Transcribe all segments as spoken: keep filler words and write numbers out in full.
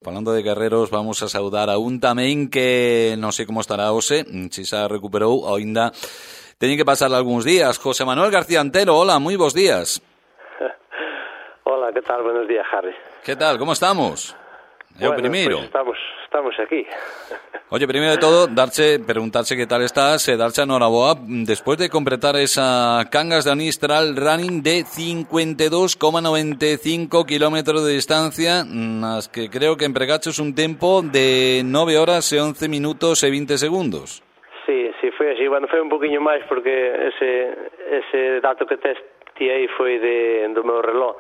Falando de guerreros, vamos a saudar a un tamén que non sei como estará hoxe, se xa recuperou, ainda teñen que pasar algúns días. José Manuel García Antelo, hola, moi bons días. Hola, que tal? Buenos días, Harry. Que tal, como estamos? É o bueno, primeiro. Pues estamos, estamos aquí. Oye, primeiro de todo, darche, preguntarse que tal estás, e darche a noraboa despois de completar esa Cangas de Onís Trail Running de cincuenta y dos coma noventa y cinco kilómetros de distancia, nas que creo que empregaches un tempo de nove horas e once minutos e veinte segundos. Sí, sí, foi así. Bueno, foi un poquinho máis porque ese, ese dato que tes ti aí foi de, do meu reloj.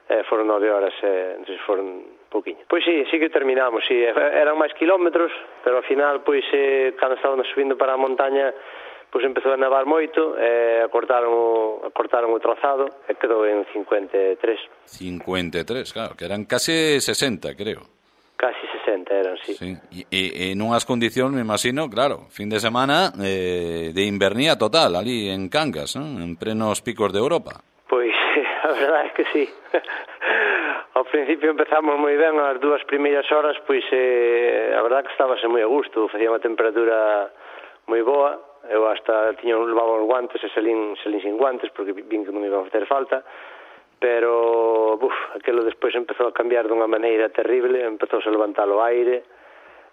Eh, foron nove horas, eh, entonces foron poquinho. Pois sí, sí que terminamos, sí, eran máis kilómetros, pero ao final, pois, eh, cando estábamos subindo para a montaña, pois empezou a nevar moito, eh, acortaron, o, acortaron o trazado, e quedou en cincuenta y tres. cincuenta y tres, claro, que eran case sesenta, creo. Casi sesenta eran, sí. Sí. E, e en unhas condicións, me imagino, claro, fin de semana eh, de invernía total, ali en Cangas, ¿no? En plenos picos de Europa. Pois, a verdade é que sí. Ao principio empezamos moi ben, as dúas primeiras horas, pois eh, a verdade que estábase moi a gusto, facía unha temperatura moi boa, eu hasta tiña levaba os guantes e salín, salín sin guantes, porque vin que non me iba a facer falta, pero, buf, aquilo despois empezou a cambiar dunha maneira terrible, empezou a levantar o aire,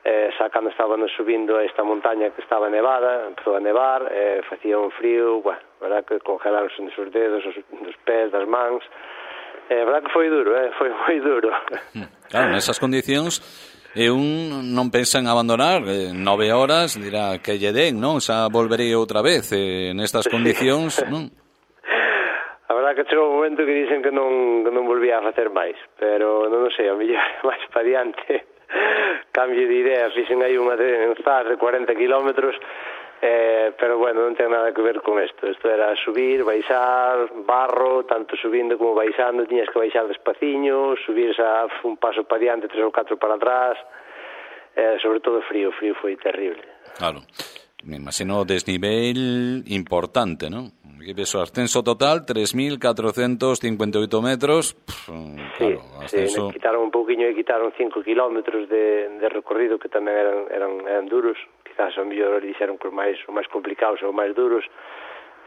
eh, xa cando estábamos subindo a esta montaña que estaba nevada, empezou a nevar, eh, facía un frío, bueno, a verdade que congelaronse os dedos, os, os pés, das mans. É verdade que foi duro, eh? foi moi duro. Claro, nesas condicións, e un non pensa en abandonar, eh, nove horas, dirá que lle den, non? Xa volverei outra vez, eh, nestas condicións, non? A verdade que chegou un momento que dicen que non, que non volvía a facer máis, pero non sei, a mellor máis para diante, cambio de idea, fixen aí unha de, de cuarenta kilómetros, Eh, pero bueno, non ten nada que ver con isto. Isto era subir, baixar, barro, tanto subindo como baixando, tiñas que baixar despaciño, subir xa un paso para diante, tres ou catro para atrás, eh, sobre todo frío, frío foi terrible. Claro, me imagino desnivel importante, non? Que peso ascenso total, tres mil catrocentos cincuenta y ocho metros, Pff, sí, claro, ascenso... sí, quitaron un pouquiño e quitaron cinco kilómetros de, de recorrido que tamén eran, eran, eran duros. Quizás o mellor dixeron que os máis, os máis complicados ou máis duros,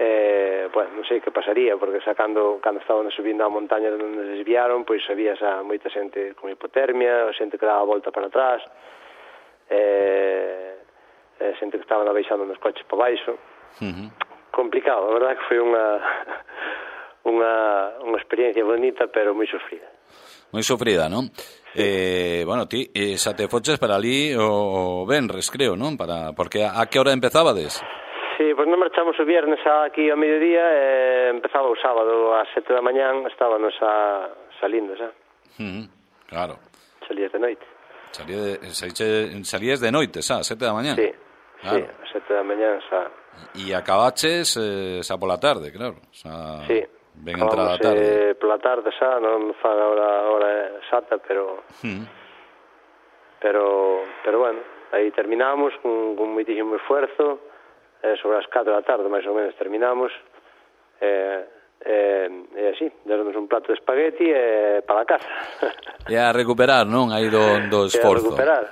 eh, bueno, non sei que pasaría, porque sacando, cando estaban subindo a montaña onde nos desviaron, pois había xa moita xente con hipotermia, xente que daba a volta para atrás, eh, eh, xente que estaban abaixando nos coches para baixo. Uh-huh. Complicado, a verdade que foi unha, unha, unha experiencia bonita, pero moi sofrida. Moi sofrida, non? Eh, bueno, ti eh, xa te foches para ali o, o Benres, creo, non? Para, porque a, a que hora empezabades? Sí, pois non marchamos o viernes aquí ao mediodía e empezaba o sábado ás sete da mañán, estábamos a, salindo xa. Uh-huh. Claro. Salías de noite. Salías de, salías de noite, xa, sete da mañán? Sí, claro. Sí, ás sete da mañán xa. E acabaches eh, xa pola tarde, claro. Xa... Sí. Ben entrada a tarde. Eh, pola tarde xa, non fa a hora, hora exata, pero hmm. pero pero bueno, aí terminamos con, con moitísimo esfuerzo, eh, sobre as catro da tarde máis ou menos terminamos, e eh, eh, así, deronnos un plato de espagueti e para a casa. E a recuperar, non? Aí do, do esforzo. E a recuperar.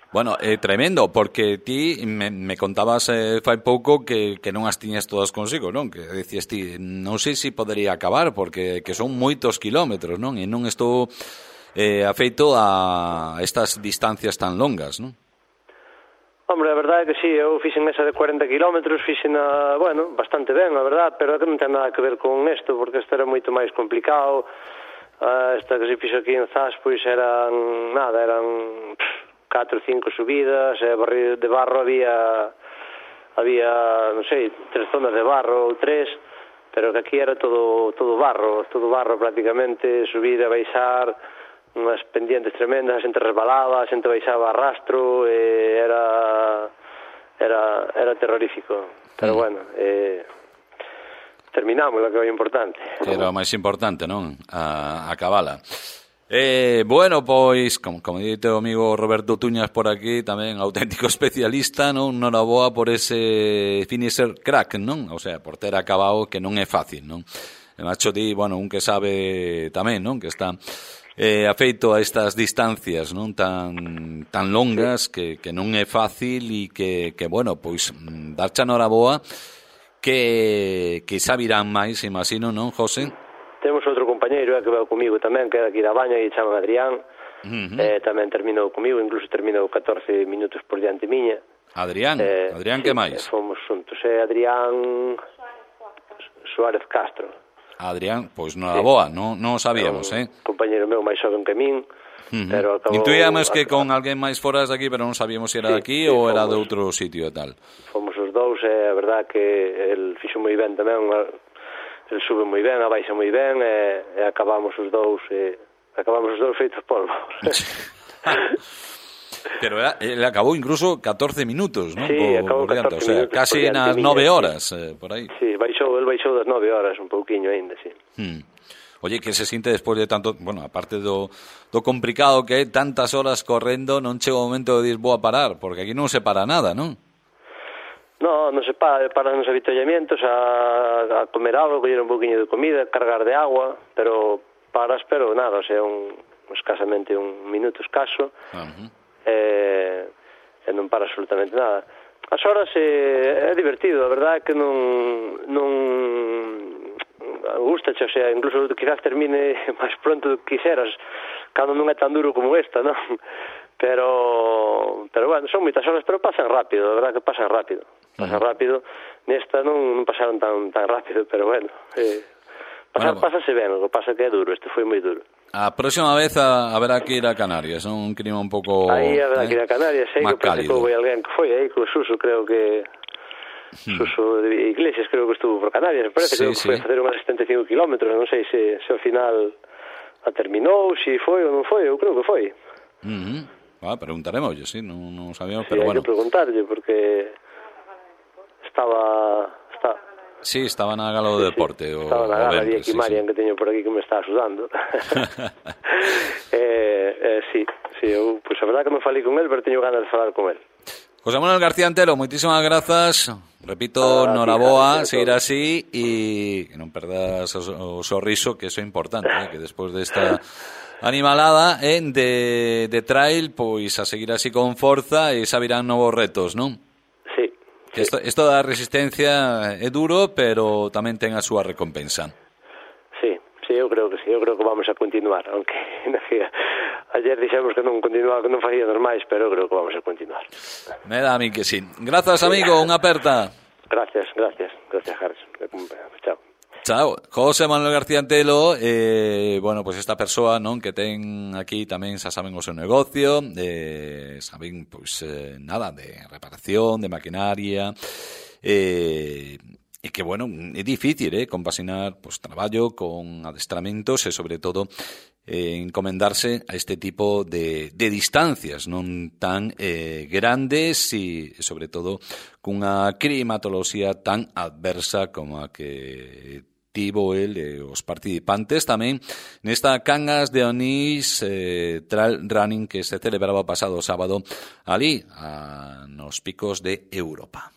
Bueno, é eh, tremendo, porque ti me, me contabas eh, fai pouco que, que non as tiñas todas consigo, non? Que dicías ti, non sei se podería acabar, porque que son moitos kilómetros, non? E non estou eh, afeito a estas distancias tan longas, non? Hombre, a verdade é que sí, eu fixen esa de cuarenta kilómetros, fixen a, bueno, bastante ben, a verdade, pero que non ten nada que ver con isto, porque isto era moito máis complicado. Uh, esta que se fixo aquí en Zas, pois eran, nada, eran... Pff, catro ou cinco subidas, e barril de barro había, había, non sei, tres zonas de barro ou tres, pero que aquí era todo todo barro, todo barro prácticamente, subir e baixar, unhas pendientes tremendas, a xente resbalaba, a xente baixaba a rastro, e era, era, era terrorífico, pero mm. bueno, eh, terminamos, o que é importante. Que era o máis importante, non? A, a cabala. Eh, bueno, pois, como, como dite o amigo Roberto Tuñas por aquí, tamén auténtico especialista, non? Noraboa por ese finisher crack, non? O sea, por ter acabado, que non é fácil, non? E macho di, bueno, un que sabe tamén, non? Que está eh, afeito a estas distancias non tan tan longas que, que non é fácil e que, que bueno, pois darche a noraboa que, que sabirán máis, imagino, non, José? Temos outro compañeiro eh, que veu comigo tamén, que é aquí da Baña e chaman Adrián. Uh-huh. eh, tamén terminou comigo, incluso terminou catorce minutos por diante miña. Adrián, eh, Adrián, sí, que máis? Fomos xuntos, é Adrián Suárez Castro. Adrián, pois non era boa, non, non sabíamos, eh? Compañeiro meu máis xoven que min, uh-huh. pero acabou... Intuíamos que con alguén máis fora de aquí, pero non sabíamos se era sí, de aquí sí, ou fomos, era de outro sitio e tal. Fomos os dous, e a verdad que el fixo moi ben tamén, el sube moi ben, abaixa moi ben, e, e acabamos os dous, e acabamos os dous feitos polvo. Pero era, ele acabou incluso catorce minutos, non? Sí, acabou catorce o sea, minutos. Casi nas nove horas, sí. eh, por aí. Sí, baixou, el baixou das nove horas, un pouquiño aínda, sí. Hmm. Oye, que se sinte despois de tanto, bueno, aparte do, do complicado que é tantas horas correndo, non chega o momento de dir, vou a parar, porque aquí non se para nada, non? No, non se para, paran nos avituallamientos a, a comer algo, coller un pouquiño de comida, cargar de agua, pero paras, pero nada, o sea, un, escasamente un minuto escaso. Uh-huh. E, e non para absolutamente nada. As horas é, é divertido, a verdade é que non non gustache, o sea, incluso quizás termine máis pronto do que quixeras, cando non é tan duro como esta, non? Pero, pero bueno, son moitas horas, pero pasan rápido, a verdade que pasan rápido, pasan uh-huh. rápido. Nesta non, non pasaron tan tan rápido, pero bueno, eh, pasar, bueno, pásase ben, o que pasa que é duro, este foi moi duro. A próxima vez a, haberá que ir a Canarias, un clima un pouco aí haberá eh, que ir a Canarias, sei que parece que houve alguén que foi aí, con Suso, creo que hmm. Suso de Iglesias, creo que estuvo por Canarias, parece sí, que sí. foi a facer unhas setenta e cinco kilómetros, non sei se, se ao final a terminou, se foi ou non foi, eu creo que foi. Uh-huh. Ah, preguntaremos, yo sí, non, non sabíamos, sí, pero hai bueno. Que preguntarlle, porque estaba... Está... Sí, estaba na gala do sí, deporte. Sí. O, estaba na gala, vi aquí sí, Marian, sí. que teño por aquí que me está axudando. eh, eh, sí, sí, eu, pues a verdade que non falei con él, pero teño ganas de falar con él. José Manuel García Antelo, moitísimas grazas. Repito, ah, noraboa, seguir así e que non perdas o, o sorriso, que eso é importante, eh, que despois desta animalada eh, de, de trail, pois a seguir así con forza e sabirán novos retos, non? Sí. Que isto, isto da resistencia é duro, pero tamén ten a súa recompensa. Sí, sí, eu creo que sí, eu creo que vamos a continuar, aunque ayer dixemos que non continuaba, que non facíamos máis, pero eu creo que vamos a continuar. Me dá a mí que sí. Grazas, amigo, unha aperta. Gracias, gracias, gracias, Harrison. Chao. Chao. José Manuel García Antelo, eh, bueno, pues esta persoa, non, que ten aquí tamén xa saben o seu negocio, eh, saben, pois, eh, nada, de reparación, de maquinaria, eh, e que, bueno, é difícil, eh, compasinar, pues, traballo con adestramentos e, sobre todo, eh, encomendarse a este tipo de, de distancias non tan eh, grandes e, sobre todo, cunha climatoloxía tan adversa como a que tivo el e os participantes tamén nesta Cangas de Onís eh, Trail Running que se celebraba pasado sábado ali a, nos picos de Europa.